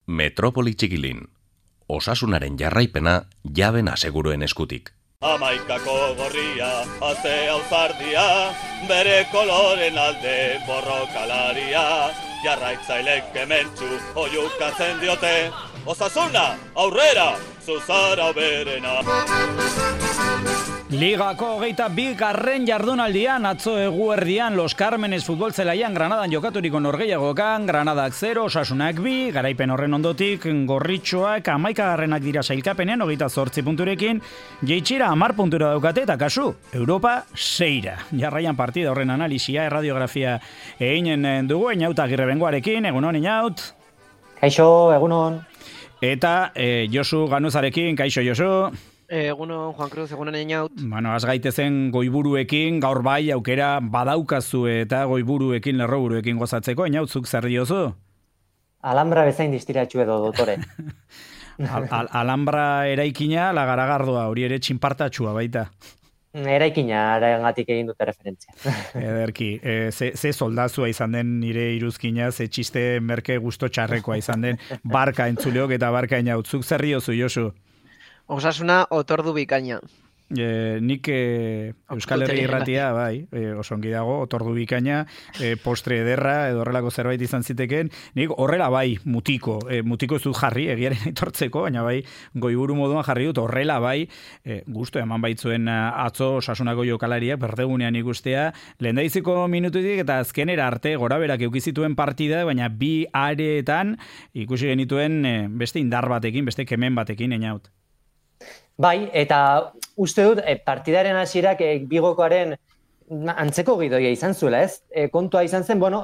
Metropoli Txikilin. Osasunaren jarraipena jaben aseguruen eskutik. Amaikako gorria, azea uzardia, bere koloren alde borrokalaria, jarraitzailek kementsu oiukatzen diote, Osasuna, aurrera, zuzara berena. Ligako 22. jardunaldian atzo eguerdian Los Cármenes futbol zelaian Granadan jokaturiko norgehiagokan, Granadak 0, Osasunak 2, garaipen horren ondotik Gorritxoak 11. dira sailkapenen 28 punturekin, jeitxira 10 puntura daukate eta kasu, Europa 6. Jarraian partida horren analisia, erradiografia eginen dugu, Einaut Agirrebengoarekin, egunon Einaut. Kaixo, egunon. Eta Josu Ganuzarekin, kaixo Josu. Egunon, Juan Cruz, egunon Einaut. Bueno, az gaitezen goiburuekin, gaur bai aukera badaukazu eta goiburuekin, lerroburuekin gozatzeko, Einaut, zuk zer diozu? Alhambra bezain distiratxu edo, dotore. Alhambra eraikina, lagaragardoa, hori ere txinpartatxua baita. Eraikina, arengatik egin dute referentzia. Ederki, ze soldazua izan den nire iruzkina, ze txiste merke gusto txarrekoa izan den, barka entzuleok eta barka Einaut, zuk zer diozu, Josu? Osasuna otordu bikaina. Nik Euskal Herri irratia, bai, osongi dago, otordu bikaina, postre ederra, edo horrelako zerbait izan ziteken, nik horrela bai, mutiko ez dut jarri, egiaren aitortzeko, baina bai, goiburu moduan jarri dut, horrela bai, gustu eman baitzuen atzo Osasunako jokalariak, berdegunean ikustea, lehendaiziko minututik eta azkenera arte, gora berak eukizituen partida, baina bi areetan ikusi genituen beste indar batekin, beste kemen batekin, Einaut. Bai, eta uste dut, partidaren hasierak Bigokoaren antzeko gidoia izan zuela, ez? Kontua izan zen, bueno,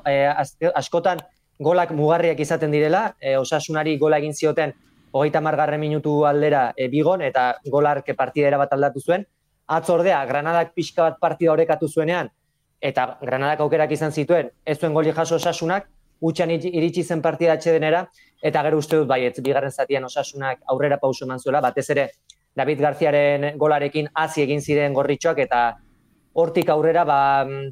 askotan golak mugarriak izaten direla, Osasunari gola egin zioten 30. minutu aldera Bigon, eta golark partidera bat aldatu zuen. Atzordea, Granadak pixka bat partida orekatu zuenean, eta Granadak aukerak izan zituen, ez zuen goli jaso Osasunak, utxan iritsi zen partida atsedenera, eta gero uste dut baietz, bigarren zatian Osasunak aurrera pauso eman zuela, batez ere David Garziaren golarekin hasi egin ziren Gorritxoak, eta hortik aurrera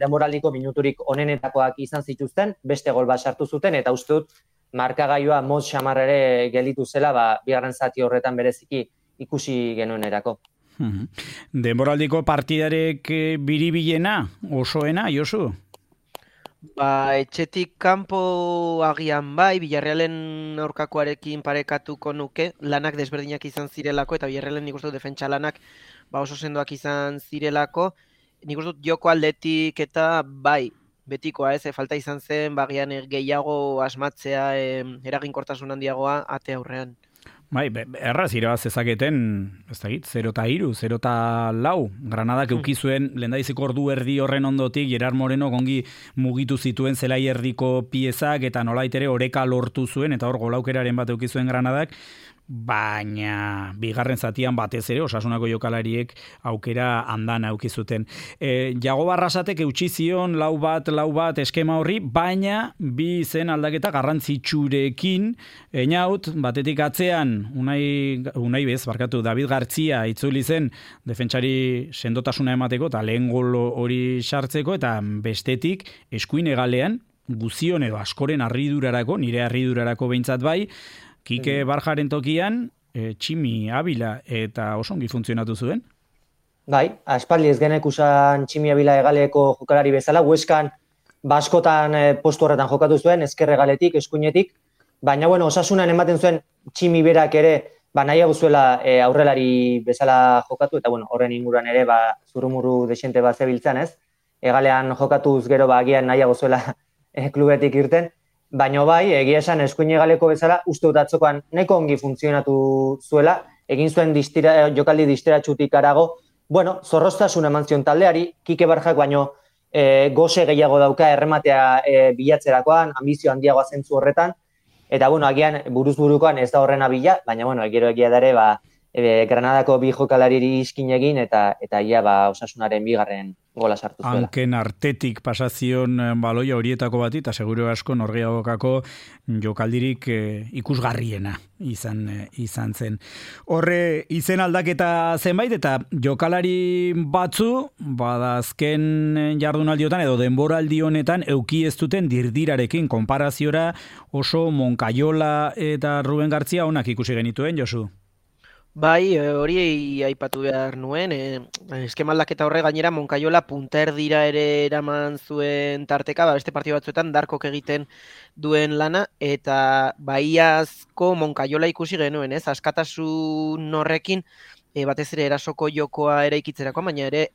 denboraldiko minuturik onenetakoak izan zituzten, beste gol bat sartu zuten, eta uste dut markagailua moz xamarrere gelditu zela, bigarren zati horretan bereziki ikusi genuenerako. Denboraldiko partidarek biribilena, osoena, Josu? Etxetik kanpo agian bai, Villarrealen aurkakoarekin parekatuko nuke, lanak desberdinak izan zirelako, eta Villarrealen nik uste dut defentsa lanak oso sendoak izan zirelako, nik uste dut joko aldetik eta bai, betikoa ez, falta izan zen, bagian gehiago asmatzea, eraginkortasun handiagoa ate aurrean. Bai, erraz irabaz ezaketen, ez da git, 0-3, 0-4, Granadak eukizuen lehendaiziko ordu erdi horren ondotik, Gerard Moreno gongi mugitu zituen zelai erdiko piezak, eta nolait ere oreka lortu zuen, eta hor golaukeraren bat eukizuen Granadak, baina bigarren zatian batez ere Osasunako jokalariek aukera andan aukizuten. Jago Barrasatek eutsi zion lau bat eskema horri, baina bi zen aldaketa garrantzitsurekin, Einaut, batetik atzean Unai bez, David Gartzia itzuli zen defentsari sendotasuna emateko eta lehen gol hori sartzeko, eta bestetik eskuin hegalean guzion edo askoren harridurarako, nire harridurarako behintzat bai, Kike Barjaren tokian, Tximi Abila eta osongi funtzionatu zuen? Bai, aspaldi ez genek usan Tximi Abila egaleko jokalari bezala, Hueskan baskotan postu horretan jokatu zuen, ezker egaletik, eskuinetik, baina bueno, Osasunan ematen zuen Tximi berak ere, nahiago zuela aurrelari bezala jokatu, eta bueno, horren inguruan ere, zurumurru desente bat zebiltzan, ez? Egalean jokatuz gero agian nahiago zuela klubetik irten, baina bai, egia esan eskuin egaleko bezala, uste dut atzokoan nahiko ongi funtzionatu zuela, egin zuen jokaldi disteratxutik arago, bueno, zorroztasun eman zion taldeari, Kike Barjak baino goze gehiago dauka errematea bilatzerakoan, ambizio handiagoa zentzu horretan, eta bueno, agian buruz-burukoan ez da horrena bila, baina bueno, gero egia dare, Granadako bi jokalariri iskin egin, eta ia Osasunaren bigarren gola sartu zuela. Hanken artetik pasazion baloia horietako bati, eta seguro asko norgeagokako jokaldirik ikusgarriena izan zen. Horre izen aldaketa zenbait, eta jokalari batzu, badazken jardunaldiotan edo denboraldi honetan euki ez duten dirdirarekin konparaziora oso Moncayola eta Ruben Gartzia onak ikusi genituen, Josu? Bai, hori aipatu behar nuen, eskema aldaketa horre gainera Moncayola punterdira ere eraman zuen tarteka, beste partida batzuetan darkok egiten duen lana, eta baiazko Moncayola ikusi genuen, askatasun horrekin, batez ere erasoko jokoa ere ikitzerako, baina ere...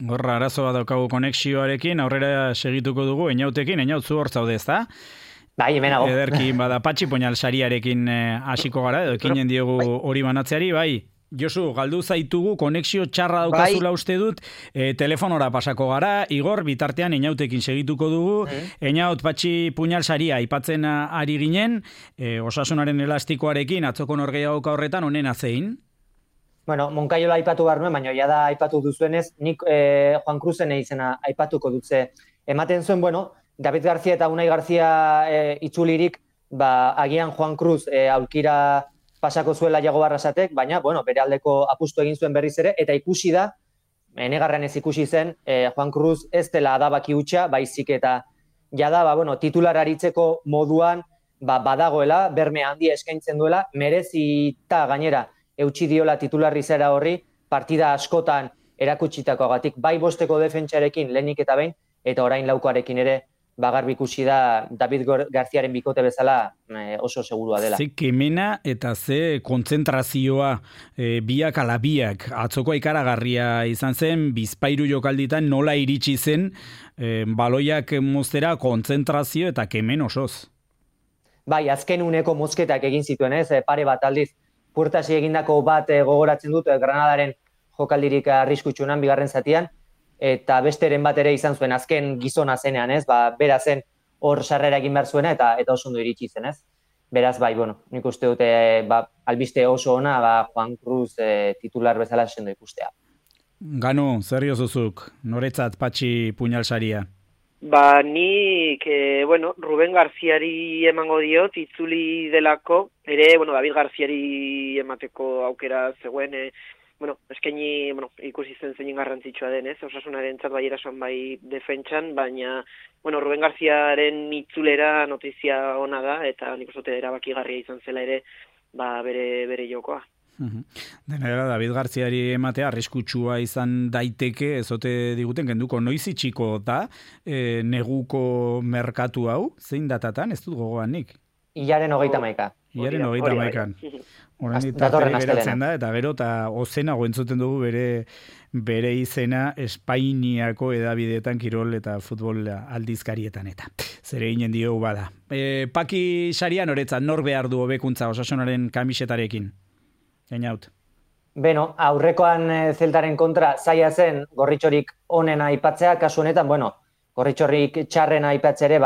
Gorra, arazo bat daukagu konexioarekin, aurrera segituko dugu, Eñautekin, Eñaut zu hor zaude, ezta? Bai, hemenago. Ederki, bada, Patxi Poñal sariarekin hasiko gara, edo ekinen diogu hori banatzeari, bai. Josu, galdu zaitugu, konexio txarra daukazula uste dut, telefonora pasako gara, Igor, bitartean Eñautekin segituko dugu, Eñaut Patxi Puñal saria aipatzen ari ginen, osasunaren elastikoarekin, atzoko norgeagoka horretan, onena zein? Bueno, Moncayola aipatu behar nuen, baina ja da aipatu duzuenez, nik Juan Cruzen izena aipatuko dutze. Ematen zuen, bueno, David García eta Unai García itzulirik, agian Juan Cruz aulkira pasako zuela Iago Barrasatek, baina, bueno, bere aldeko apustu egin zuen berriz ere, eta ikusi da, negarren ez ikusi zen, Juan Cruz ez dela adabaki hutsa, baizik eta jada, bueno, titular aritzeko moduan, badagoela, berme handia eskaintzen duela, merezita gainera, eutsi diola titularri zera horri, partida askotan erakutsitakoagatik, bai bosteko defentsarekin lehenik eta behin, eta orain laukoarekin ere, garbi ikusi da David Garziaren bikote bezala oso segurua dela. Ze kemena eta ze kontzentrazioa biak ala biak. Atzoko ikaragarria izan zen, Bizpahiru jokalditan nola iritsi zen baloiak moztera kontzentrazio eta kemen osoz. Bai, azken uneko mozketak egin zituen, pare bat aldiz. Puertasi egindako bat gogoratzen dut Granadaren jokaldirik arriskutsunan bigarren zatian, eta besteren bat ere izan zuen azken gizona zenean, bera zen hor sarrera egin behar zuena eta oso ondo iritsi zen, Beraz, bai, bueno, nik uste dute albiste oso ona, Juan Cruz titular bezala sendo ikustea. Gano, zer jozuzuk, noretzat Patxi Puñal saria? Nik, Ruben Garziari emango diot, itzuli delako, ere, David Garziari emateko aukera zegoen, eskaini, ikusi zen zein garrantzitsua den, osasunaren bai erasoan bai defentsan, baina, Ruben Garziaren itzulera notizia ona da, eta nik uste erabakigarria izan zela ere, bere jokoa. Denera, David Garziari ematea arriskutsua izan daiteke, ezote diguten, kenduko noiz itxiko da, neguko merkatu hau, zein datatan, ez dut gogoan nik? Ilaren 31. Ilaren 31. Orain geratzen da, eta gero, eta ozenago entzuten dugu bere izena Espainiako edabideetan kirol eta futbol aldizkarietan eta. Zere ginen diogu bada. Paki sarian horetzat, nor behar du hobekuntza osasunaren kamisetarekin? Eñaut. Beno, aurrekoan Zeltaren kontra zaila zen gorritxorik onena aipatzea, kasu honetan, gorritxorik txarrena aipatzea ere,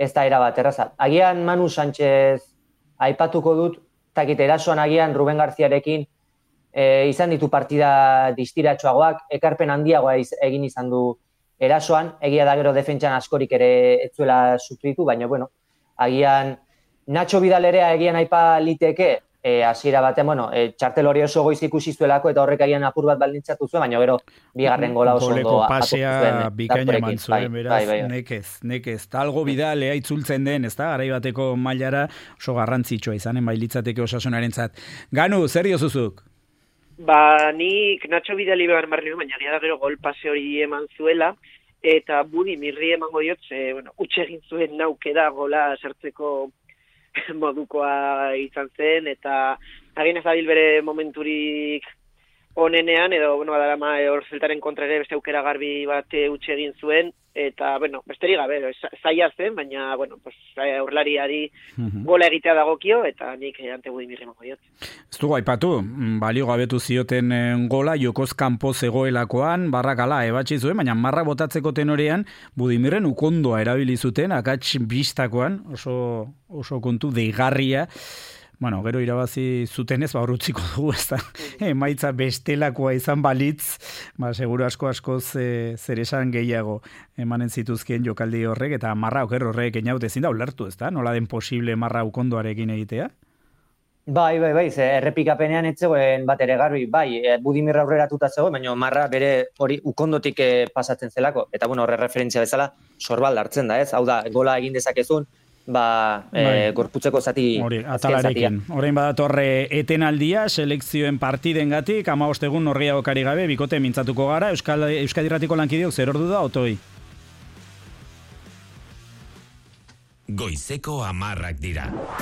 ez da erabat erraza. Agian Manu Sánchez aipatuko dut, takit erasoan agian Ruben Garziarekin izan ditu partida distiratsuagoak, ekarpen handiagoa egin izan du erasoan, egia da gero defentsan askorik ere ez zuela sufritu, baina agian Nacho Vidal ere agian aipa liteke, hasiera batean, txartel hori oso goiz ikusi zuelako eta horrek agian apur bat baldintzatu zuen, baina gero bigarren gola oso ondo pasea bikaina eman zuen, beraz, nekez. Talgo Vidal itzultzen den, ez da, garai bateko mailara oso garrantzitsua izanen bailitzateke osasunarentzat. Ganu, zer diozuzuk? Nik Nacho Vidal ibegan marri, baina gira da gero gol pase hori eman zuela, eta Budi Mirri emango diot, utxe egin zuen naukera gola sartzeko modukoa izan zen, eta agin ez dabil bere momenturik onenean, edo, badarama hor Zeltaren kontra ere beste aukera garbi bat utxe egin zuen, eta, besterik gabe, zaila zen, baina, aurlariari gola egitea dagokio, eta nik ante Budi Mirri emango diot. Ez dugu aipatu, balio gabetu zioten gola, jokoz kanpo zegoelakoan, barrakala ebatzi zuen, baina marra botatzeko tenorean, Budimirren ukondoa erabili zuten, akats bistakoan, oso kontu deigarria, Bueno, gero irabazi zutenez, hor utziko dugu, ez da, emaitza bestelakoa izan balitz, seguru askoz zer esan gehiago emanen zituzkien jokaldi horrek, eta marra horrek eniaut ezin da ulertu, ez da, nola den posible marra ukondoarekin egitea? Bai, errepikapenean etzegoen bat ere garbi, Budimir aurreratuta zegoen, baina marra bere hori ukondotik pasatzen zelako, eta horre referentzia bezala sorbal hartzen da, ez? Hau da, gola egin dezakezun, gorputzeko zati atalarekin. Orain badatorre etenaldia, selekzioen partidengatik, 15 egun norgehiago kari gabe, bikote mintzatuko gara, Euskadi Irratiko lankideok zer ordu da, Otoi? Goizeko 10 dira.